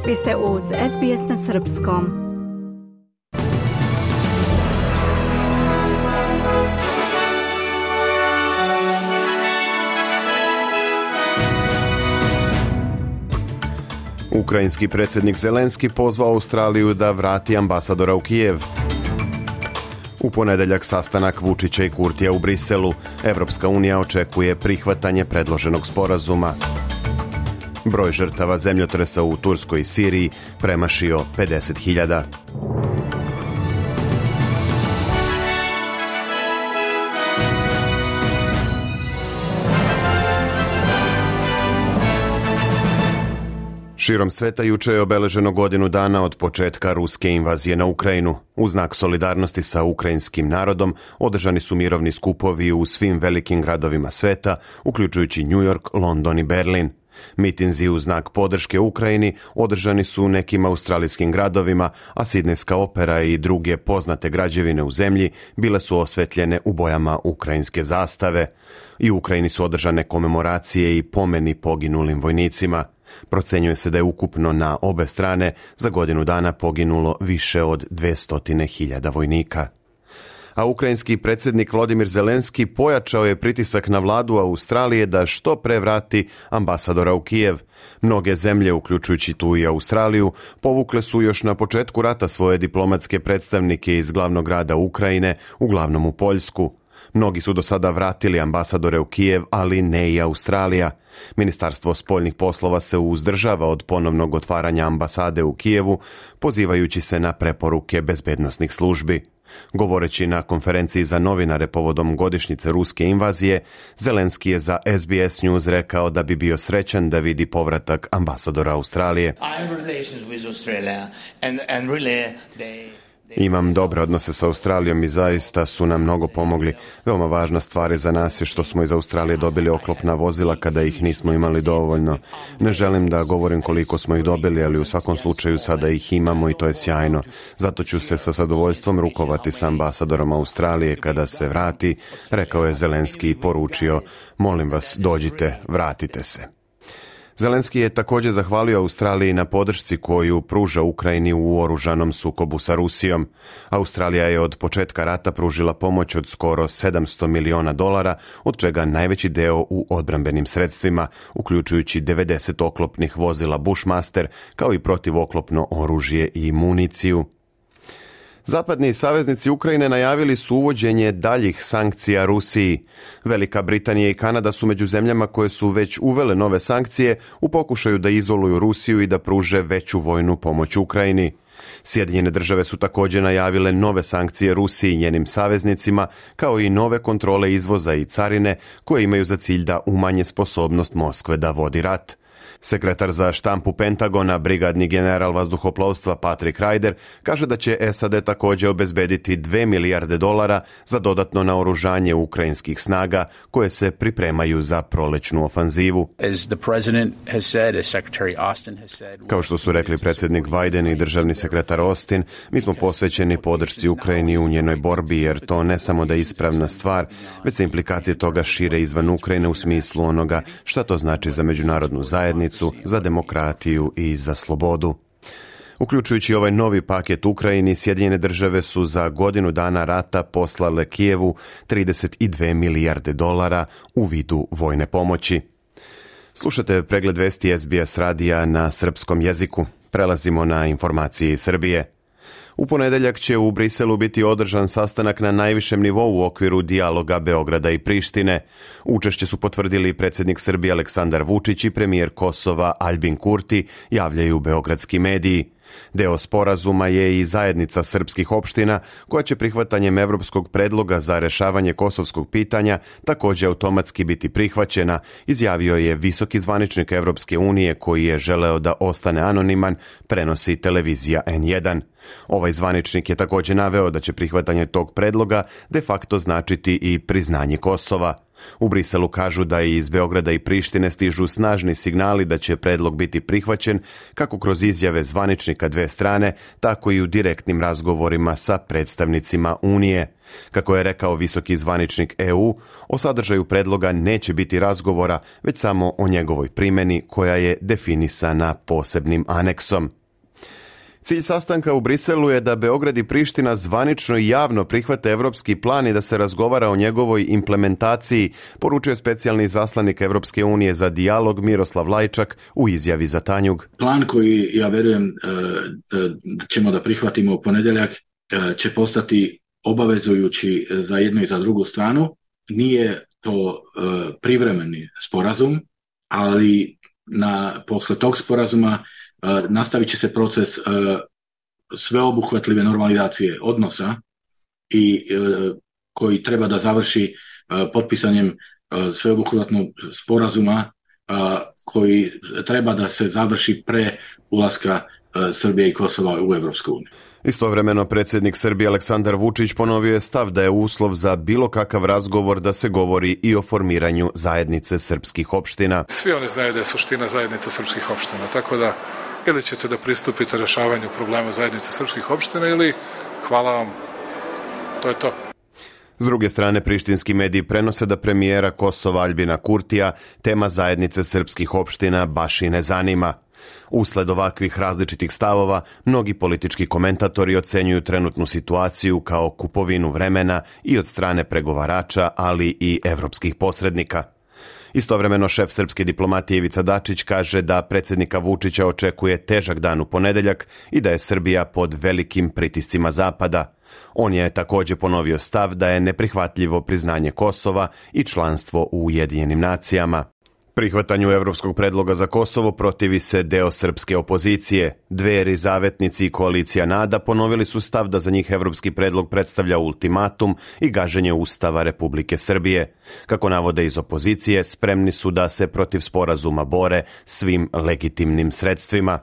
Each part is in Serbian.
Vi ste uz SBS na srpskom. Ukrajinski predsjednik Zelenski pozvao Australiju da vrati ambasadora u Kijev. U ponedjeljak sastanak Vučića i Kurtija u Briselu. Evropska unija očekuje prihvatanje predloženog sporazuma. Broj žrtava zemljotresa u Turskoj i Siriji premašio 50.000. Širom sveta juče je obeleženo godinu dana od početka ruske invazije na Ukrajinu. U znak solidarnosti sa ukrajinskim narodom održani su mirovni skupovi u svim velikim gradovima sveta, uključujući New York, London i Berlin. Mitinzi u znak podrške Ukrajini održani su u nekim australijskim gradovima, a Sidnejska opera i druge poznate građevine u zemlji bile su osvetljene u bojama ukrajinske zastave. I u Ukrajini su održane komemoracije i pomeni poginulim vojnicima. Procenjuje se da je ukupno na obe strane za godinu dana poginulo više od 200.000 vojnika. A ukrajinski predsjednik Volodymyr Zelenski pojačao je pritisak na vladu Australije da što pre vrati ambasadora u Kijev. Mnoge zemlje, uključujući tu i Australiju, povukle su još na početku rata svoje diplomatske predstavnike iz glavnog grada Ukrajine, uglavnom u Poljsku. Mnogi su do sada vratili ambasadore u Kijev, ali ne i Australija. Ministarstvo spoljnih poslova se uzdržava od ponovnog otvaranja ambasade u Kijevu, pozivajući se na preporuke bezbednosnih službi. Govoreći na konferenciji za novinare povodom godišnjice ruske invazije, Zelenski je za SBS News rekao da bi bio srećan da vidi povratak ambasadora Australije. Imam dobre odnose sa Australijom i zaista su nam mnogo pomogli. Veoma važna stvar je za nas je što smo iz Australije dobili oklopna vozila kada ih nismo imali dovoljno. Ne želim da govorim koliko smo ih dobili, ali u svakom slučaju sada ih imamo i to je sjajno. Zato ću se sa zadovoljstvom rukovati sa ambasadorom Australije kada se vrati, rekao je Zelenski i poručio: molim vas, dođite, vratite se. Zelenski je također zahvalio Australiji na podršci koju pruža Ukrajini u oružanom sukobu sa Rusijom. Australija je od početka rata pružila pomoć od skoro $700 miliona, od čega najveći deo u odbrambenim sredstvima, uključujući 90 oklopnih vozila Bushmaster, kao i protivoklopno oružje i municiju. Zapadni saveznici Ukrajine najavili su uvođenje daljih sankcija Rusiji. Velika Britanija i Kanada su među zemljama koje su već uvele nove sankcije u pokušaju da izoluju Rusiju i da pruže veću vojnu pomoć Ukrajini. Sjedinjene države su također najavile nove sankcije Rusiji i njenim saveznicima, kao i nove kontrole izvoza i carine koje imaju za cilj da umanje sposobnost Moskve da vodi rat. Sekretar za štampu Pentagona, brigadni general vazduhoplovstva Patrick Ryder, kaže da će SAD također obezbediti $2 milijarde za dodatno naoružanje ukrajinskih snaga koje se pripremaju za prolećnu ofanzivu. Kao što su rekli predsjednik Biden i državni sekretar Austin, mi smo posvećeni podršci Ukrajini u njenoj borbi, jer to ne samo da je ispravna stvar, već se implikacije toga šire izvan Ukrajine u smislu onoga šta to znači za međunarodnu zajednicu, za demokratiju i za slobodu. Uključujući ovaj novi paket Ukrajini, Sjedinjene države su za godinu dana rata poslale Kijevu $32 milijarde u vidu vojne pomoći. Slušate pregled vesti SBS radija na srpskom jeziku. Prelazimo na informacije iz Srbije. U ponedjeljak će u Briselu biti održan sastanak na najvišem nivou u okviru dijaloga Beograda i Prištine. Učešće su potvrdili predsjednik Srbije Aleksandar Vučić i premijer Kosova Aljbin Kurti, javljaju beogradski mediji. Deo sporazuma je i zajednica srpskih opština koja će prihvatanjem evropskog predloga za rešavanje kosovskog pitanja također automatski biti prihvaćena, izjavio je visoki zvaničnik Evropske unije koji je želeo da ostane anoniman, prenosi televizija N1. Ovaj zvaničnik je također naveo da će prihvatanje tog predloga de facto značiti i priznanje Kosova. U Briselu kažu da iz Beograda i Prištine stižu snažni signali da će predlog biti prihvaćen kako kroz izjave zvaničnika dve strane, tako i u direktnim razgovorima sa predstavnicima Unije. Kako je rekao visoki zvaničnik EU, o sadržaju predloga neće biti razgovora, već samo o njegovoj primjeni koja je definisana posebnim aneksom. Cilj sastanka u Briselu je da Beograd i Priština zvanično i javno prihvate evropski plan i da se razgovara o njegovoj implementaciji, poručuje specijalni izaslanik Evropske unije za dijalog Miroslav Lajčak u izjavi za Tanjug. Plan koji, ja verujem, ćemo da prihvatimo u ponedjeljak, će postati obavezujući za jednu i za drugu stranu. Nije to privremeni sporazum, ali posle tog sporazuma nastavit će se proces sveobuhvatljive normalizacije odnosa i koji treba da završi potpisanjem sveobuhvatnog sporazuma koji treba da se završi pre ulaska Srbije i Kosova u Evropsku uniju. Istovremeno predsjednik Srbije Aleksandar Vučić ponovio je stav da je uslov za bilo kakav razgovor da se govori i o formiranju zajednice srpskih opština. Svi oni znaju da je suština zajednica srpskih opština, tako da ili ćete da pristupite rešavanju problema zajednice srpskih opština ili hvala vam, to je to. S druge strane, prištinski mediji prenose da premijera Kosova Aljbina Kurtija tema zajednice srpskih opština baš i ne zanima. Usled ovakvih različitih stavova, mnogi politički komentatori ocenjuju trenutnu situaciju kao kupovinu vremena i od strane pregovarača, ali i evropskih posrednika. Istovremeno šef srpske diplomatije Ivica Dačić kaže da predsjednika Vučića očekuje težak dan u ponedjeljak i da je Srbija pod velikim pritiscima Zapada. On je također ponovio stav da je neprihvatljivo priznanje Kosova i članstvo u Ujedinjenim nacijama. Prihvatanju evropskog predloga za Kosovo protivi se deo srpske opozicije. Dveri, Zavetnici i koalicija NADA ponovili su stav da za njih evropski predlog predstavlja ultimatum i gaženje Ustava Republike Srbije. Kako navode iz opozicije, spremni su da se protiv sporazuma bore svim legitimnim sredstvima.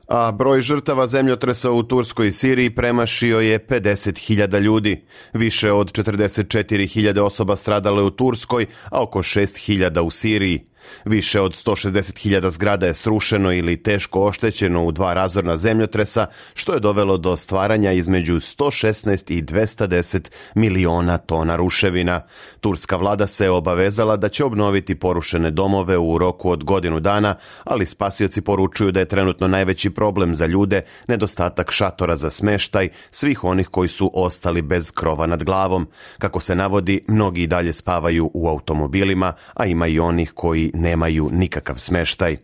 A broj žrtava zemljotresa u Turskoj i Siriji premašio je 50.000 ljudi. Više od 44.000 osoba stradalo je u Turskoj, a oko 6.000 u Siriji. Više od 160.000 zgrada je srušeno ili teško oštećeno u 2 razorna zemljotresa, što je dovelo do stvaranja između 116 i 210 miliona tona ruševina. Turska vlada se obavezala da će obnoviti porušene domove u roku od godinu dana, ali spasioci poručuju da je trenutno najveći problem za ljude nedostatak šatora za smeštaj svih onih koji su ostali bez krova nad glavom. Kako se navodi, mnogi i dalje spavaju u automobilima, a ima i onih koji nemaju nikakav smeštaj.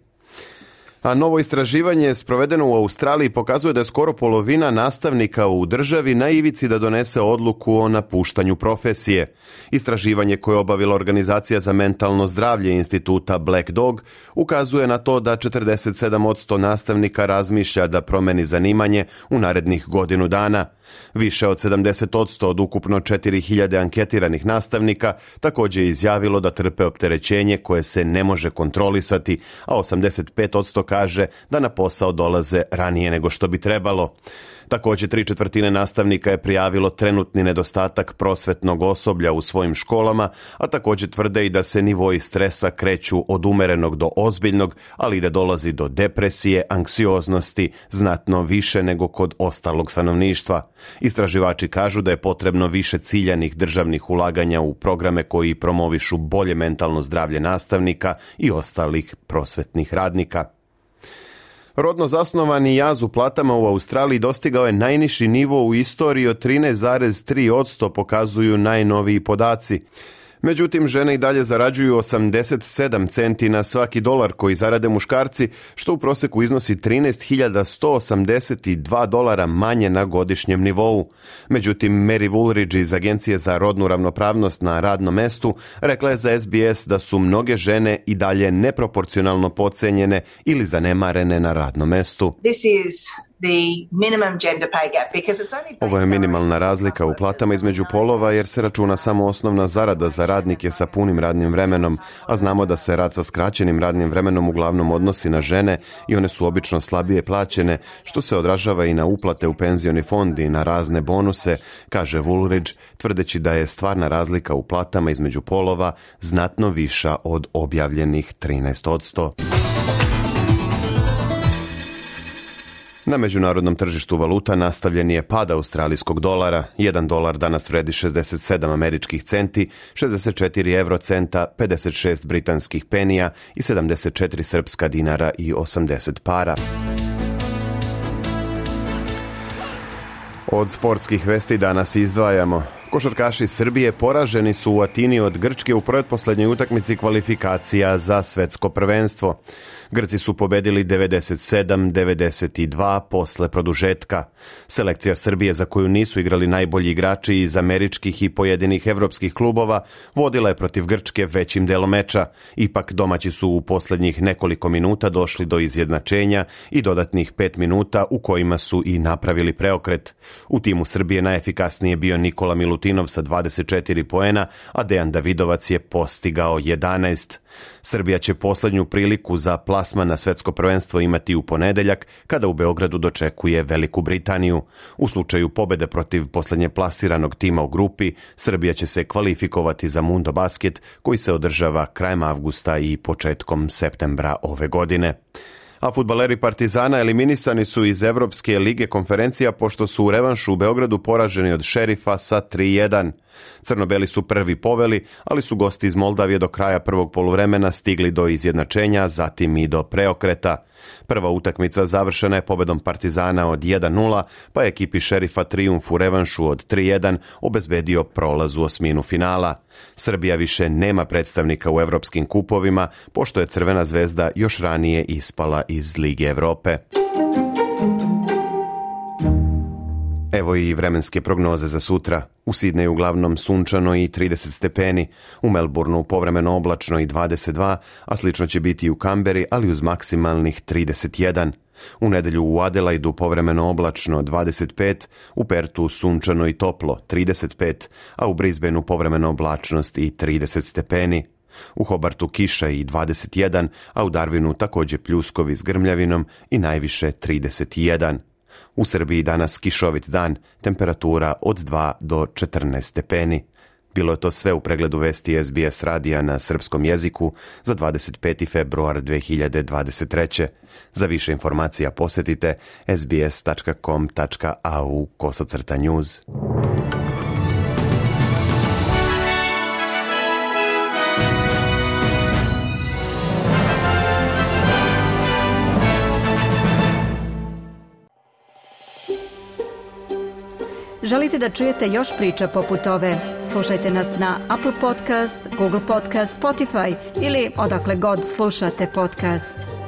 A novo istraživanje sprovedeno u Australiji pokazuje da je skoro polovina nastavnika u državi na ivici da donese odluku o napuštanju profesije. Istraživanje koje je obavila Organizacija za mentalno zdravlje instituta Black Dog ukazuje na to da 47% nastavnika razmišlja da promeni zanimanje u narednih godinu dana. Više od 70% od ukupno 4.000 anketiranih nastavnika također je izjavilo da trpe opterećenje koje se ne može kontrolisati, a 85% kaže da na posao dolaze ranije nego što bi trebalo. Također 3/4 nastavnika je prijavilo trenutni nedostatak prosvetnog osoblja u svojim školama, a također tvrde i da se nivoi stresa kreću od umerenog do ozbiljnog, ali i da dolazi do depresije, anksioznosti, znatno više nego kod ostalog stanovništva. Istraživači kažu da je potrebno više ciljanih državnih ulaganja u programe koji promovišu bolje mentalno zdravlje nastavnika i ostalih prosvetnih radnika. Rodno zasnovani jaz u platama u Australiji dostigao je najniži nivo u istoriji od 13,3%, pokazuju najnoviji podaci. Međutim, žene i dalje zarađuju 87 centi na svaki dolar koji zarade muškarci, što u prosjeku iznosi 13.182 dolara manje na godišnjem nivou. Međutim, Mary Woolridge iz Agencije za rodnu ravnopravnost na radnom mestu rekla je za SBS da su mnoge žene i dalje neproporcionalno podcenjene ili zanemarene na radnom mestu. Ovo je minimalna razlika u platama između polova jer se računa samo osnovna zarada za radnike sa punim radnim vremenom, a znamo da se rad sa skraćenim radnim vremenom uglavnom odnosi na žene i one su obično slabije plaćene, što se odražava i na uplate u penzioni fond i na razne bonuse, kaže Woolridge, tvrdeći da je stvarna razlika u platama između polova znatno viša od objavljenih 13%. Na međunarodnom tržištu valuta nastavljen je pad australijskog dolara. 1 dolar danas vredi 67 američkih centi, 64 eurocenta, 56 britanskih penija i 74 srpska dinara i 80 para. Od sportskih vesti danas izdvajamo. Košarkaši Srbije poraženi su u Atini od Grčke u pretposlednjoj utakmici kvalifikacija za svetsko prvenstvo. Grci su pobedili 97-92 posle produžetka. Selekcija Srbije, za koju nisu igrali najbolji igrači iz američkih i pojedinih evropskih klubova, vodila je protiv Grčke većim delom meča. Ipak domaći su u poslednjih nekoliko minuta došli do izjednačenja i dodatnih 5 minuta u kojima su i napravili preokret. U timu Srbije najefikasnije bio Nikola Milutinov sa 24 poena, a Dejan Davidovac je postigao 11. Srbija će poslednju priliku za plasman na svetsko prvenstvo imati u ponedeljak, kada u Beogradu dočekuje Veliku Britaniju. U slučaju pobede protiv poslednje plasiranog tima u grupi, Srbija će se kvalifikovati za Mundo Basket, koji se održava krajem avgusta i početkom septembra ove godine. A fudbaleri Partizana eliminisani su iz Evropske lige konferencija pošto su u revanšu u Beogradu poraženi od Šerifa sa 3-1. Crno-beli su prvi poveli, ali su gosti iz Moldavije do kraja prvog poluvremena stigli do izjednačenja, zatim i do preokreta. Prva utakmica završena je pobedom Partizana od 1-0, pa je ekipi Šerifa trijumf u revanšu od 3-1 obezbedio prolaz u osminu finala. Srbija više nema predstavnika u evropskim kupovima, pošto je Crvena zvezda još ranije ispala iz Lige Evrope. Evo i vremenske prognoze za sutra. U Sidneju uglavnom sunčano i 30 stepeni, u Melbourneu povremeno oblačno i 22, a slično će biti i u Kamberi, ali uz maksimalnih 31. U nedelju u Adelaidu povremeno oblačno 25, u Pertu sunčano i toplo 35, a u Brisbaneu povremeno oblačnost i 30 stepeni. U Hobartu kiša i 21, a u Darwinu također pljuskovi s grmljavinom i najviše 31. U Srbiji danas kišovit dan, temperatura od 2 do 14 stepeni. Bilo je to sve u pregledu vesti SBS radija na srpskom jeziku za 25. februar 2023. Za više informacija posjetite sbs.com.au/news. Želite da čujete još priča poput ove? Slušajte nas na Apple Podcast, Google Podcast, Spotify ili odakle god slušate podcast.